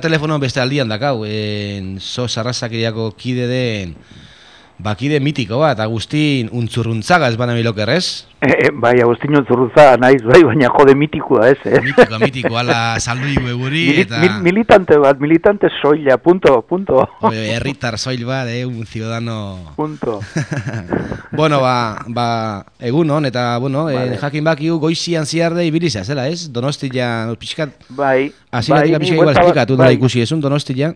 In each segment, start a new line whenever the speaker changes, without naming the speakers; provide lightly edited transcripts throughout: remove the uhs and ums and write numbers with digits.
Telefono beste aldian dakau, so sarrazakiriako kide den, bakide mitiko bat, Agustin Untzurruntzaga ez bana milokerrez?
Bai, Agustin Untzurruntzaga naiz, bai, baina jode mitikoa ez,
Mitiko, ala saldu igu eguri, eta...
Militante soila, punto.
Herritar soil bat, un ciudadano...
Punto.
Bueno, egun hon, eta, bueno, jakin bakiu goizian ziarde ibiliza, zela ez? Donostian, pixkat...
Bai.
Aziratik pixkat igual esplikatu, nola ikusi esun Donostian?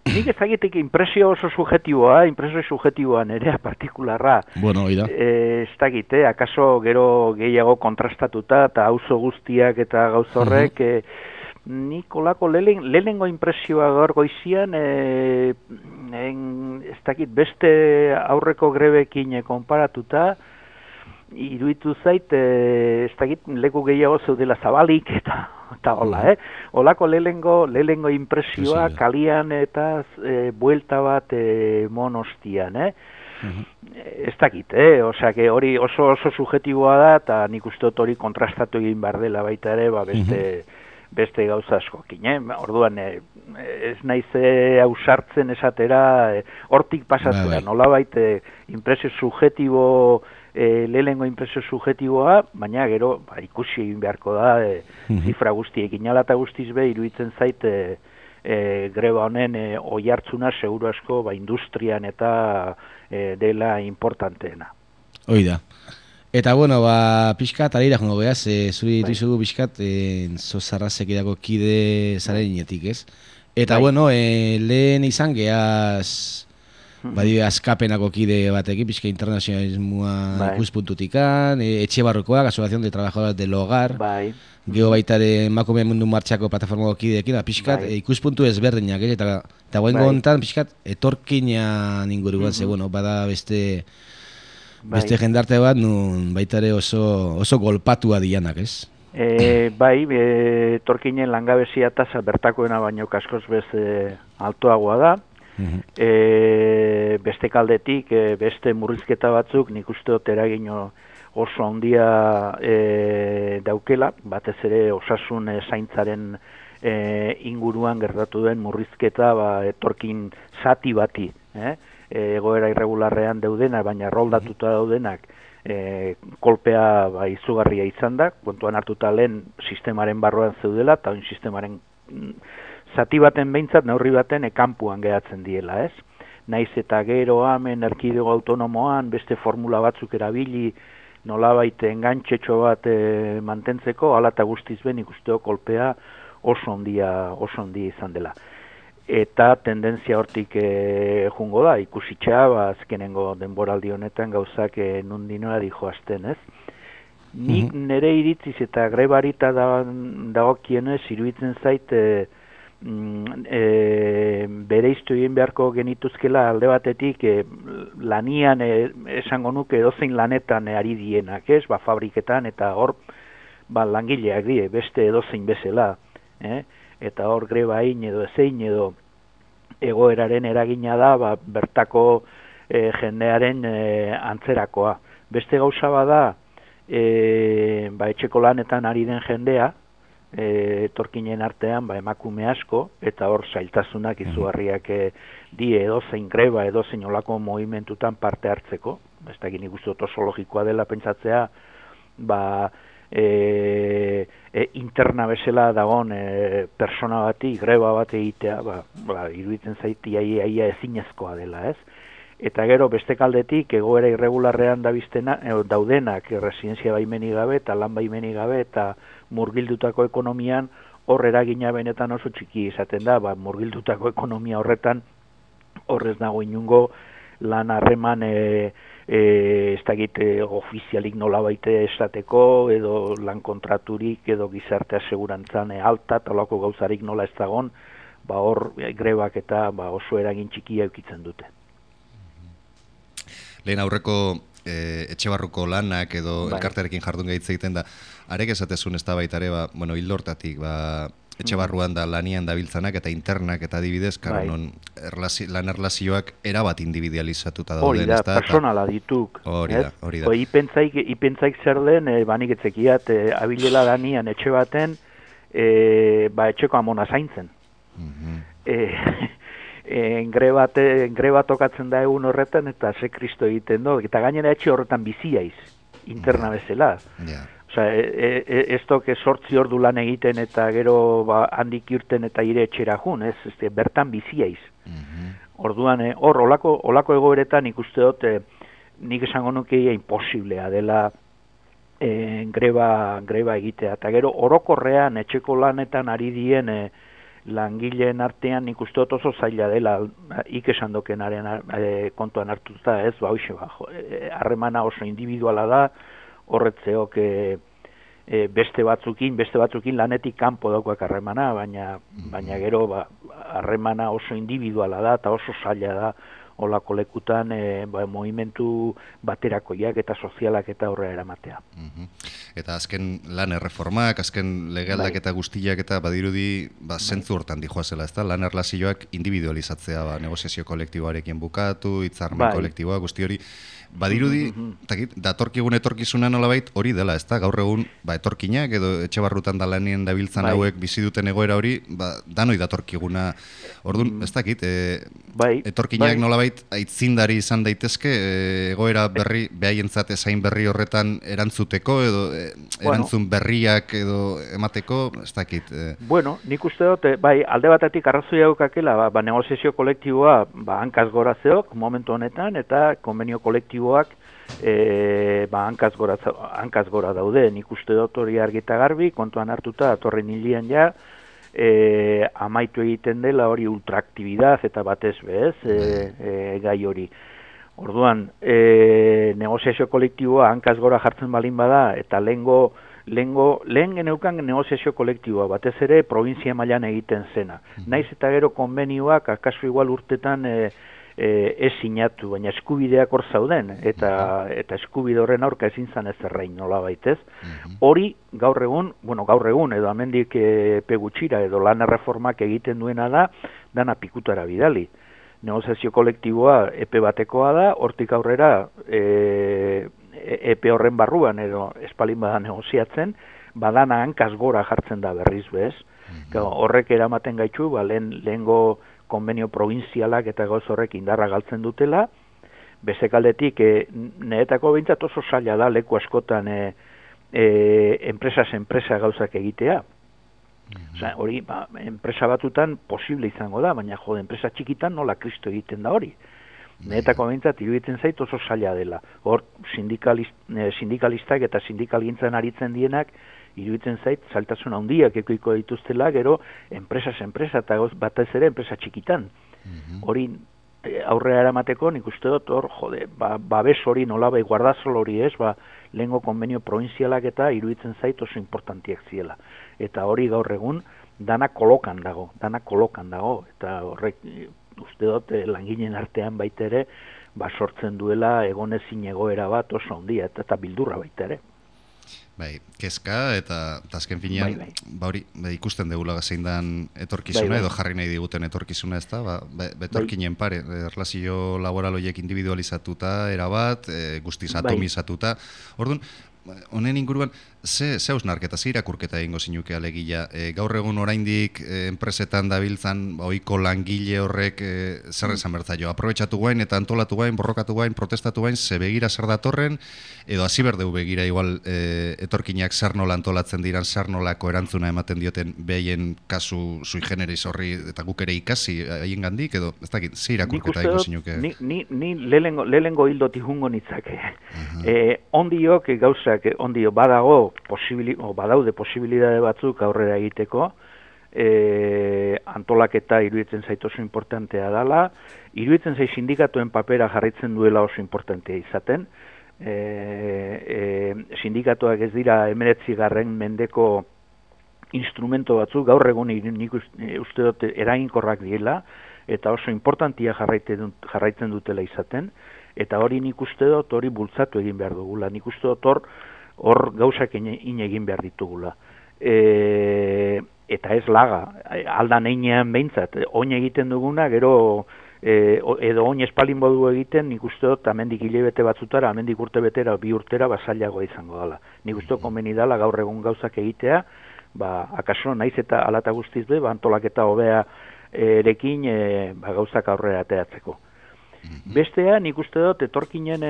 Nik ezagitek impresio oso subjetiboa nerea partikularra.
Bueno, oida.
Ez dakit, akaso gero gehiago kontrastatuta eta auzo guztiak eta gauza horrek, nik olako lehenengo impresioa gaur goizian, ez dakit, beste aurreko grebekin konparatuta, iruditu zait, ez dakit, leku gehiago zeudela zabalik eta hola, Olako lehenengo impresioa kalian eta buelta bat monostian, Ez dakit, osea, hori oso subjetiboa da, eta nik uste dut hori kontrastatu egin behar dela baita ere, beste gauza askokin, Orduan, ez naiz ausartzen esatera, hortik pasatzea, nolabait impresio subjetibo, lehenengo impresio subjetiboa, baina gero ikusi egin beharko da, zifra guztiekin ala eta guztiz be, iruditzen zait greba honen oihartzuna seguru asko industrian eta dela importanteena.
Hoi da. Eta, bueno, pixkat, alira jongo behaz, zuri dituzugu pixkat, zozarrazek edako kide zaren inetik, ez? Eta, bueno, lehen izan gehaz, azkapenako kide batekin, pixka internazionalismoa ikuspuntutikan, Etxebarrokoak, Asociación de Trabajadores del Hogar, geho baitare emakume mundu martxako plataformako kideekin, pixkat ikuspuntu ezberdinak, eta guen gontan, pixkat, etorkinan inguruan, ze, bueno, bada beste jendarte bat, nun baitare oso golpatua dianak, ez?
Bai, etorkinen langabezia tasa bertakoena baino kaskoz beste altoagoa da, beste kaldetik, beste murrizketa batzuk nik uste dut eragin oso handia daukela, batez ere osasun zaintzaren inguruan gertatu den murrizketa etorkin zati bati, egoera irregularrean daudenak, baina roldatuta daudenak kolpea izugarria izan da, kontuan hartuta lehen sistemaren barruan zeudela, eta sistemaren zati baten behintzat, neurri baten kanpuan geratzen diela, ez? Naiz eta gero hemen erkidego autonomoan beste formula batzuk erabili nolabait engantxetxo bat mantentzeko, hala eta guztiz ben ikusteo kolpea oso handia izan dela. Eta tendentzia hortik jungo da, ikusitxa, azkenengo denboraldi honetan gauzak nundinoa dijoazten, ez? Nik nire iritziz eta grebarita dagokienez iruditzen zait bere iztu egin beharko genituzkela alde batetik lanian esango nuke edozein lanetan ari dienak, ez? Fabriketan eta hor langileak die, beste edozein bezala, eta hor grebain edo ezein edo egoeraren eragina da bertako jendearen antzerakoa. Beste gauza bada etxeko lanetan ari den jendea, etorkinen artean emakume asko, eta hor zailtasunak izugarriak die edozein greba, edozein olako movimentutan parte hartzeko. Ez da gini guztu oso logikoa dela pentsatzea, interna bezala dagoen persona bati, greba bat egitea, iruditzen zaiti aia ezinezkoa dela, ez? Eta gero beste kaldetik egoera irregularrean daudenak residentzia baimenik gabe eta lan baimenik gabe eta murgildutako ekonomian hor eragina benetan oso txiki izaten da, murgildutako ekonomia horretan horrez dago inungo lan harreman ez dakit ofizialik nolabait esateko edo lan kontraturik edo gizarte asegurantzan alta talako gauzarik nola ez dagon, hor grebak eta oso eragin txikia eukitzen dute.
Lehen aurreko Etxebarruko lanak edo elkartearekin jardun gaitz egiten da, arek esatezun ez da baitare, hildortatik, Etxebarruan da lanian dabiltzanak eta internak eta adibidez, non lan erlazioak erabat individualizatuta dauden.
Hori da, personala dituk.
Hori da.
Ipentzaik zer den, banik etzekiat, abilela lanian etxe baten, etxeko amona zaintzen. Greba tokatzen da egun horretan, eta ze kristo egiten do, eta gainera etxe horretan biziaiz, interna bezala. Osea, ez toke 8 ordu lan egiten eta gero handik irten eta ire etxera jun, bertan biziaiz. Orduan, hor, olako egoeretan ikuste dut, nik esango nukeia imposiblea dela greba egitea. Eta gero, orokorrean etxeko lanetan ari dien langileen artean nik uste dut oso zaila dela esan dokenaren kontuan hartuta ez, harremana oso individuala da, horretzeok beste batzukin lanetik kanpo daukoak harremana, baina gero harremana oso individuala da eta oso zaila da olako lekutan movimentu baterakoiak eta sozialak eta horrela eramatea.
Eta azken lan erreformak, azken legealdak eta guztiak eta badirudi zentzu hortan dijoazela, ez da? Lan erlazioak individualizatzea, negoziazio kolektiboarekin bukatu, hitzarmen kolektiboa, guzti hori. Badirudi, datorkigun etorkizuna nolabait hori dela, ez da? Gaur egun, etorkinak edo etxe barrutan da lanien dabiltzan hauek bizi duten egoera hori, danoi datorkiguna. Orduan, ez dakit, etorkinak nolabait aitzindari izan daitezke, egoera berri, behaientzat ezain berri horretan erantzuteko, edo erantzun berriak edo emateko, ez dakit.
Bueno, nik uste dut, alde batetik arrazoia daukakela, negoziazio kolektiboa hankaz gora zeok, momentu honetan, eta konbenio kolektiboak hankaz gora daude. Nik uste dut hori argita garbi, kontuan hartuta, atorren hilian ja, amaitu egiten dela hori ultraaktibidad eta batez bez, gai hori. Orduan, negoziazio kolektiboa hankaz gora jartzen balin bada, eta lehen geneukan negoziazio kolektiboa, batez ere provintzia mailan egiten zena. Naiz eta gero konbenioak, akaso igual urtetan ez sinatu, baina eskubideak hor zauden, eta eskubide horren aurka ezin zan ez errein nola baitez. Hori gaur egun, edo amendik epe gutxira, edo lan erreformak egiten duena da, dana pikutara bidali. Negoziazio kolektiboa epe batekoa da, hortik aurrera epe horren barruan, edo espalin bada negoziatzen, badana hankaz gora jartzen da berriz bez. Horrek eramaten gaitu, lehengo konbenio provinzialak eta gauz horrek indarra galtzen dutela, bezekaldetik neetako behintzat oso zaila da leku askotan enpresa gauzak egitea. Hori, enpresa batutan posible izango da, baina enpresa txikitan nola kristo egiten da hori. Neetako behintzat iruditzen zait oso zaila dela. Hor, sindikalistak eta sindikalgintzan aritzen dienak, iruditzen zait, zailtasun handiak ekoiko dituztela, gero, enpresa eta batez ere enpresa txikitan. Hori, aurrera eramateko, nik uste dut, hor, babes hori nolabai guardazol hori ez, lehengo konbenio provinzialak eta iruditzen zait oso importantiak ziela. Eta hori gaur egun, dana kolokan dago, eta horrek, uste dut, langileen artean baita ere, sortzen duela egonezin egoera bat oso handia, eta bildurra baita ere.
Kezka eta azken finean ikusten degula zein dan etorkizuna edo jarri nahi diguten etorkizuna ez da, betorkinen pare, erlazio laboral horiek individualizatuta, erabat, guztiz atomizatuta. Orduan, honen inguruan, ze hausnarketa, ze irakurketa egingo zinuke alegia? Gaur egun oraindik enpresetan dabiltzan ohiko langile horrek zer esan bertzaio? Aprobetxatu guain eta antolatu guain, borrokatu guain, protestatu guain, ze begira zer datorren, edo hasi berdeu begira igual etorkinak zer nola antolatzen diran, zer nolako erantzuna ematen dioten behaien kasu sui generis horri eta guk ere ikasi haien gandik, edo ez dakit, ze irakurketa egingo zinuke?
Ni lehengo hildoti jungo nitzake. Ondiok gauzak, ondio badaude posibilidade batzuk aurrera egiteko, antolaketa iruditzen zait oso importantea dela, iruditzen zait sindikatuen papera jarritzen duela oso importantea izaten, sindikatuak ez dira 19. mendeko instrumento batzuk, gaur egun nik uste dut eraginkorrak direla, eta oso importantia jarraitzen dutela izaten, eta hori nik uste dut hori bultzatu egin behar dugula, nik uste dut hor gauzak egin behar ditugula. Eta ez laga, aldan einean behintzat, oin egiten duguna, gero edo oin espalin bodu egiten, nik uste dut amendik hilebete batzutara, amendik urte betera, 2 urtera, zailagoa izango dela. Nik uste dut konbeni dela gaur egun gauzak egitea, akaso naiz eta alata guztiz be, antolaketa hobea erekin gauzak aurrera ateratzeko. Bestea, nik uste dut, etorkinen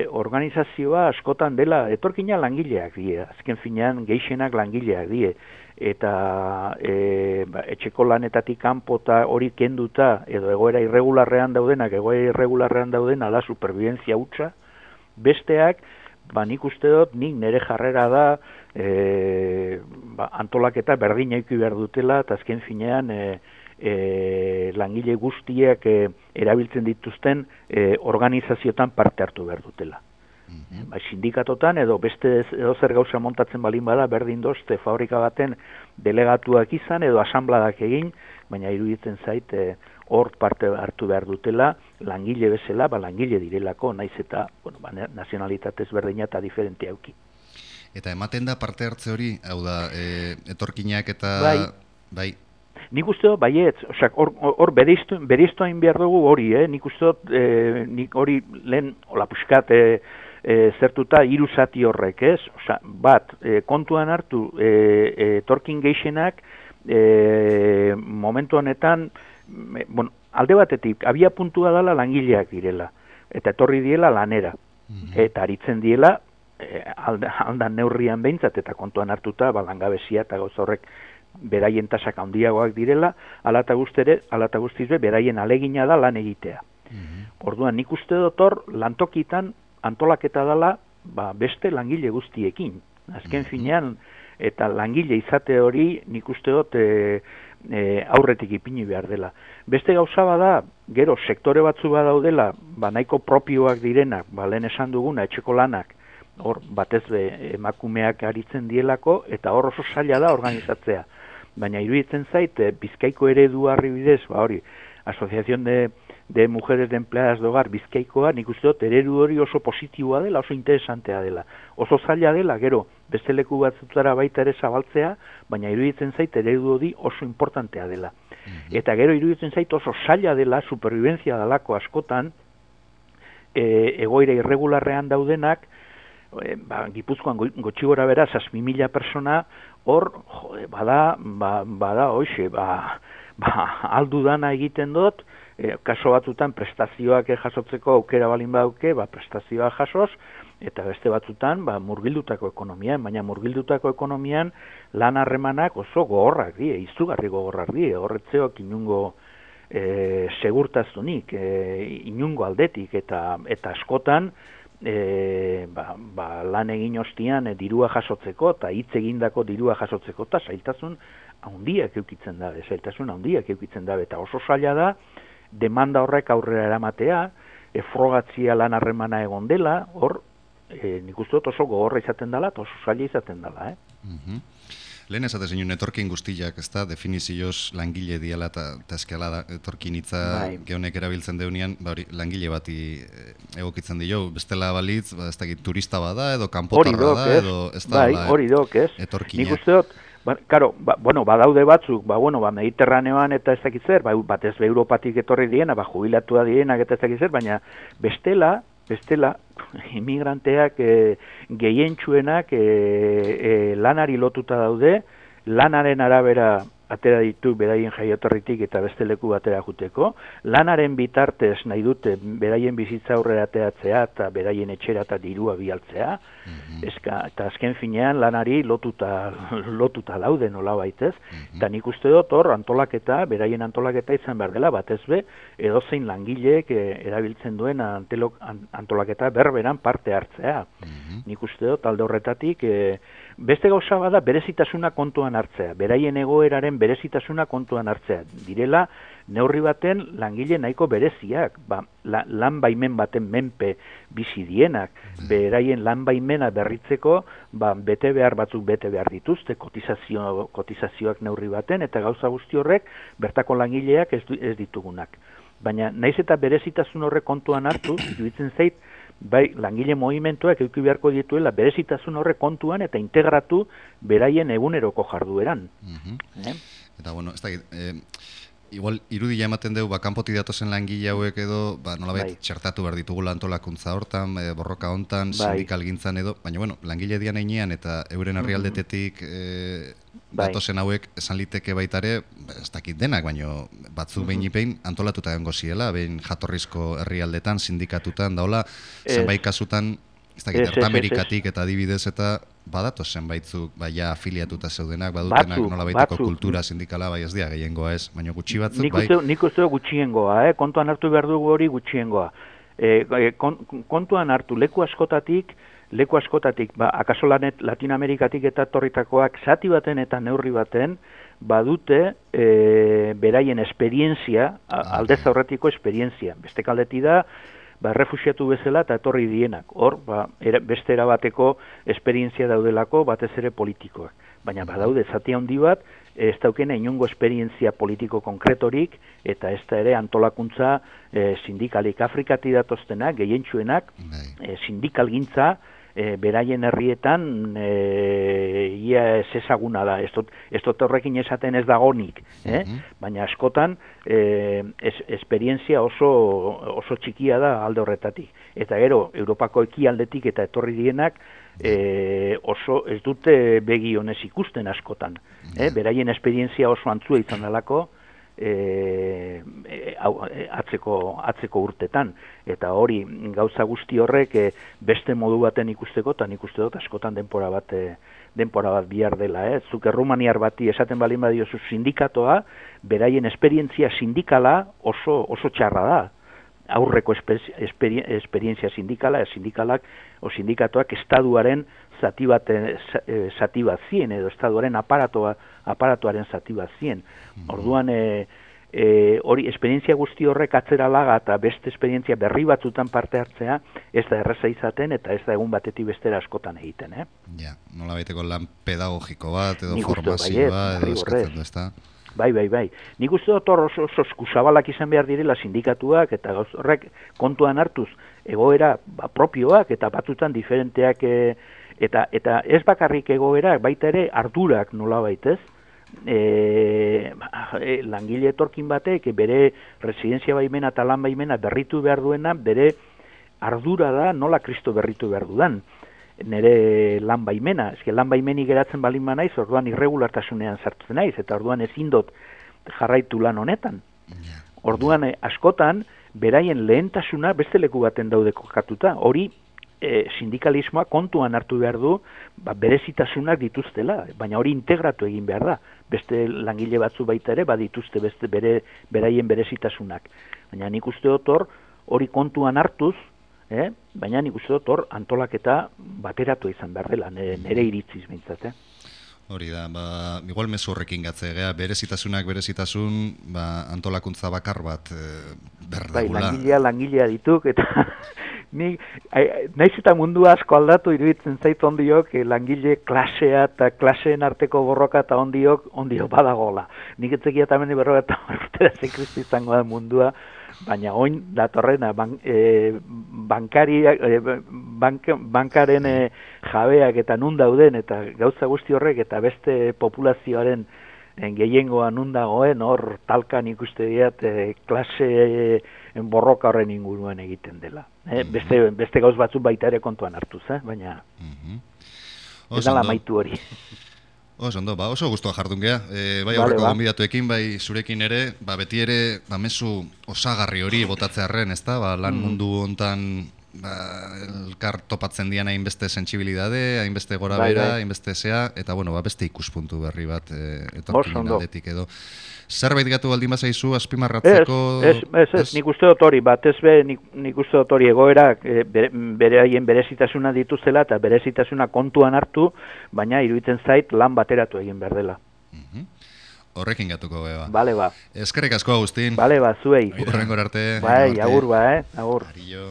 organizazioa askotan dela, etorkina langileak die, azken finean gehienak langileak die, eta etxeko lanetatik kanpota hori kenduta, edo egoera irregularrean daudenak, da superviventzia hutsa, besteak, nik uste dut, nik nire jarrera da, antolaketa berdina eki behar dutela, eta azken finean, langile guztiek erabiltzen dituzten organizazioetan parte hartu behar dutela. Sindikatotan edo beste zer gauza montatzen balin bada berdin dozte fabrika baten delegatuak izan edo asambladak egin, baina iruditzen zait hor parte hartu behar dutela langile bezala, langile direlako, naiz eta nazionalitatez berdina eta diferentea auki.
Eta ematen da parte hartze hori, hau da, etorkinak eta... Bai.
Nik uste dut, baietz, hor bereiztoain behar dugu hori, nik uste dut, nik hori lehen, hola puskat, zertuta hiru zati horrek, ez? Bat, kontuan hartu, etorkin gehienak, momentu honetan, alde batetik, abia puntua dela langileak direla, eta etorri diela lanera, eta aritzen diela, aldan neurrian behintzat, eta kontuan hartuta, langabezia eta gauza horrek, beraien tasak handiagoak direla, ala eta guztiz beraien alegina da lan egitea. Orduan, nik uste dut hor, lantokitan antolaketa dela beste langile guztiekin. Azken finean, eta langile izate hori nik uste dut aurretik ipini behar dela. Beste gauza bada, gero sektore batzu badaudela, nahiko propioak direnak, lehen esan duguna, etxeko lanak, hor batez emakumeak aritzen dielako, eta hor oso zaila da organizatzea. Baina iruditzen zait, Bizkaiko eredu harri bidez, hori, Asociación de Mujeres de Empleadas de Hogar Bizkaikoa, nik uste dut, eredu hori oso positiboa dela, oso interesantea dela. Oso zaila dela, gero, beste leku batzutara baita ere zabaltzea, baina iruditzen zait, eredu hori oso importantea dela. Eta gero iruditzen zait, oso zaila dela, superviventzia dalako askotan, egoera irregularrean daudenak, Gipuzkoan gutxi gora bera, 6.000 persona, hor, bada, hoxe, aldu dana egiten dut, kaso batzutan prestazioak jasotzeko aukera balin badauke, prestazioak jasoz, eta beste batzutan, murgildutako ekonomian, baina murgildutako ekonomian lan harremanak oso gogorrak die, izugarri gogorrak die, horretzeok inungo segurtazunik, inungo aldetik, eta askotan, lan egin ostian dirua jasotzeko eta hitz egindako dirua jasotzeko eta zailtasun handiak eukitzen dabe, eta oso zaila da demanda horrek aurrera eramatea, frogatzia lan harremana egon dela, hor nik uste dut oso gogorra izaten dela eta oso zaila izaten dela.
Lehen esate zinun etorkin guztiak, ez da, definizioz langile diala eta eskala da, etorkin hitza geonek erabiltzen deunean, langile bati egokitzen dio, bestela balitz, ez da, turista bada, edo kanpotarra da, edo ez da,
hori dok, ez? Nik uste dut, badaude batzuk, Mediterraneoan eta ez dakit zer, batez Europatik etorri diena, jubilatua dienak eta ez dakit zer, baina bestela, immigranteak gehientsuenak lanari lotuta daude, lanaren arabera atera ditu beraien jaioterritik eta beste leku batera juteko, lanaren bitartez nahi dute beraien bizitza aurrera ateratzea eta beraien etxera eta dirua bialtzea, eta azken finean lanari lotuta daude nola baitez, eta nik uste dut hor beraien antolaketa izan behar dela, batez edozein langileek erabiltzen duen antolaketa berberan parte hartzea. Nik uste dut alde horretatik beste gauza bada berezitasuna kontuan hartzea, beraien egoeraren berezitasuna kontuan hartzea. Direla, neurri baten langile nahiko bereziak, lan baimen baten menpe bizi dienak, beraien lan baimena berritzeko, bete behar dituzte, kotizazioak neurri baten, eta gauza guzti horrek bertako langileak ez ditugunak. Baina, naiz eta berezitasun horrek kontuan hartu, iruditzen zait, langile movimentuak eduki beharko dituela berezitasun horrek kontuan eta integratu beraien eguneroko jardueran.
Eta, ez da, igual, irudia ematen dugu, kanpotik datozen langile hauek edo, nolabait txertatu behar ditugula antolakuntza hortan, borroka hontan, sindikal gintzan edo, baina, langile dian einean eta euren herrialdetetik datozen hauek esan liteke baitare, ez dakit denak, baino batzu behin antolatuta egongo ziela, behin jatorrizko herrialdetan, sindikatutan, daola, zenbait kasutan, ez dakit, Ertamerikatik eta adibidez eta badatu zenbaitzuk, baina afiliatuta zeudenak, badutenak nolabaiteko kultura sindikala, bai ez dira, gehiengoa ez, baina gutxi batzuk, bai?
Nik uste gutxiengoa, kontuan hartu behar dugu hori gutxiengoa. Kontuan hartu leku askotatik, akaso Latinoamerikatik eta torritakoak zati baten eta neurri baten, badute beraien esperientzia, aldez aurretiko esperientzia. Beste kaldeti da, refusiatu bezala eta etorri dienak. Hor, beste erabateko esperientzia daudelako, batez ere politikoak. Baina badaude, zati handi bat, ez daukena inongo esperientzia politiko konkretorik, eta ez da ere antolakuntza sindikalik Afrikati datoztenak, gehientsuenak, sindikalgintza, beraien herrietan ia ez ezaguna da, ez dut horrekin esaten ez dagonik, baina askotan esperientzia oso txikia da alde horretatik. Eta gero, Europako ekialdetik eta etorri dienak oso ez dute begi honez ikusten askotan. Beraien esperientzia oso antzua izan dalako, atzeko urtetan, eta hori gauza guzti horrek beste modu baten ikusteko, eta nik uste dut askotan denpora bat bihar dela. Zuk errumaniar bati esaten balin badiozu sindikatoa, beraien esperientzia sindikala oso txarra da. Aurreko esperientzia sindikalak o sindikatoak estaduaren zati bat zien, edo estaduaren aparatuaren zati bat zien. Orduan, hori esperientzia guzti horrek atzera laga eta beste esperientzia berri batzutan parte hartzea, ez da erraza izaten eta ez da egun batetik bestera askotan egiten.
Ja, nola baiteko lan pedagogiko bat, edo formazioa, edo eskatzen du, ez da?
Bai. Nik uste dut oso eskusabalak izan behar direla sindikatuak eta horrek kontuan hartuz egoera propioak eta batzutan diferenteak eta ez bakarrik egoerak, baita ere ardurak nola baitez. Langile etorkin batek bere residentzia baimena eta lan baimena berritu behar duena, bere ardura da nola Kristo berritu behar dudan. Nere lan baimena, lan baimeni geratzen balin naiz, orduan irregulartasunean sartzen naiz, eta orduan ezin dut jarraitu lan honetan. Orduan askotan, beraien lehentasuna beste leku baten daude kokatuta, hori sindikalismoa kontuan hartu behar du, berezitasunak dituztela, baina hori integratu egin behar da. Beste langile batzu baita ere, badituzte beste beraien berezitasunak. Baina nik uste dut hori kontuan hartuz, baina nik uste dut antolaketa bateratu izan behar dela, nire iritziz bintzat.
Hori da, igual mezu horrekin gatzea, berezitasun, antolakuntza bakar bat berdagula.
Langilea dituk, eta naiz eta mundu asko aldatu iruditzen zait ondiok, langile klasea eta klaseen arteko borroka eta ondiok badagola. Nik etzekia eta mendi berroga eta urtera zekristi izango da mundua, baina oin datorrena bankaren jabeak eta nun dauden eta gauza guzti horrek eta beste populazioaren gehiengoa nun dagoen hor talkan ikuste diat klase borroka horren inguruan egiten dela. Beste gauz batzuk baita ere kontuan hartuz, baina ez dala maitu hori.
Oso guztua jardun geha. Bai aurreko gonbidatuekin, bai zurekin ere, beti ere mezu osagarri hori botatzearren, ez da? Lan mundu hontan elkar topatzen dian hainbeste sentsibilidade, hainbeste gora bera, hainbeste zea, eta beste ikuspuntu berri bat etorkinen aldetik edo. Zerbait gatu baldin bazaizu azpimarratzeko?
Ez, nik uste dut hori, nik uste dut hori egoerak beraien berezitasuna dituzela eta berezitasuna kontuan hartu, baina iruditzen zait lan bateratu egin behar dela.
Horrekin gatuko beba.
Bale,
Eskerrik asko, Agustin.
Bale, zuei.
Horrengor arte.
Bai, agur, agur.
Ario.